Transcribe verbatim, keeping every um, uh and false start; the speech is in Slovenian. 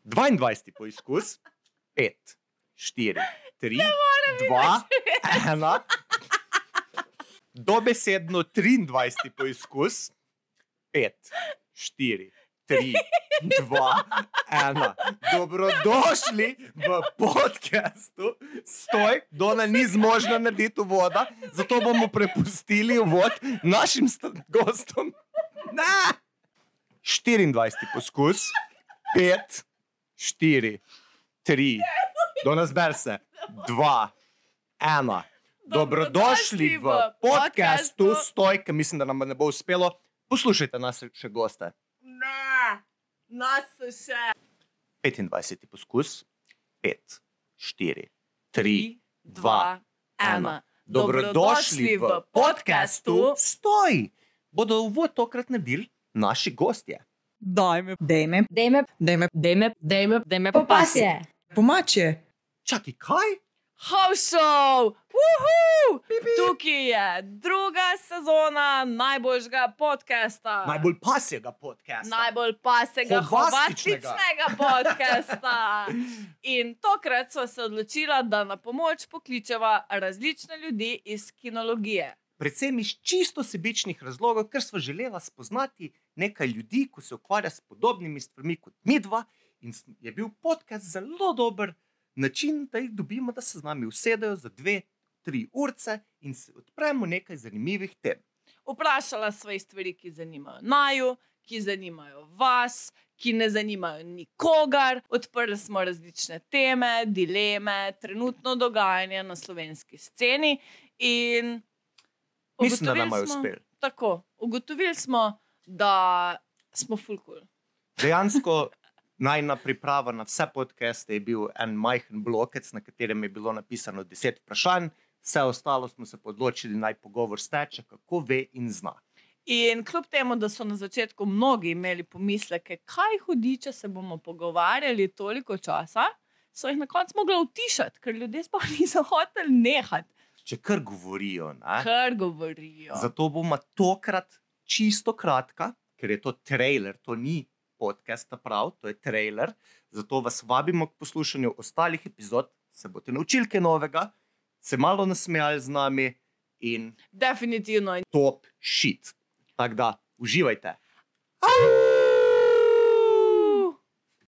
dvaindvajseti poizkus. pet, štiri, tri, dva, ena. Dobesedno triindvajseti poizkus. pet, štiri, tri, dva, ena. Dobrodošli v podcastu Stoj. Dona ni zmožna narediti uvoda, zato bomo prepustili uvod našim gostom. Ne! štiriindvajseti poskus. pet, štiri, tri, Dona zber se. dva, ena. Dobrodošli v podcastu Stoj, ker mislim, da nam ne bo uspelo. Poslušajte nas še goste. Ne, nas še. petindvajseti poskus. pet, štiri, tri, dva, ena. Dobrodošli v podcastu Stoj. Bodo uvod tokrat naredili naši gostje. Dajme, Dejme, Dejme, dajme, dejme, dejme, dejme popasje. pomače. Čakaj, kaj? House Show! Uhu! Tukaj je druga sezona najboljšega podcasta. Najbolj pasjega podcasta. Najbolj pasega, Hovastičnega. hovastičnega podcasta. In tokrat sva se odločila, da na pomoč pokličeva različne ljudi iz kinologije. Predvsem iz čisto sebičnih razlogov, ker sva želela spoznati nekaj ljudi, ko se ukvarja s podobnimi stvarmi kot midva, in je bil podcast zelo dober način, da jih dobimo, da se z nami usedejo za dve, tri urce in se odpremo nekaj zanimivih tem. Vprašala sva jih stvari, ki zanimajo naju, ki zanimajo vas, ki ne zanimajo nikogar. Odprli smo različne teme, dileme, trenutno dogajanje na slovenski sceni in Mislim, da ugotovili nam je smo- uspelo. Tako, ugotovili smo, da smo ful cool. Dejansko najna priprava na vse podcaste je bil en majhen blokec, na katerem je bilo napisano deset vprašanj, vse ostalo smo se odločili, naj pogovor steče, kako ve in zna. In kljub temu, da so na začetku mnogi imeli pomisleke, kaj hudiče se bomo pogovarjali toliko časa, so jih na koncu mogli utišati, ker ljudje sploh niso hoteli nehati, Če kar govorijo, ne? kar govorijo. Zato bomo tokrat čisto kratka, ker je to trailer, to ni podcast prav, to je trailer. Zato vas vabimo k poslušanju ostalih epizod, se boste naučili kaj novega, se malo nasmejali z nami in Definitivno. top shit. Tako da, uživajte. Au!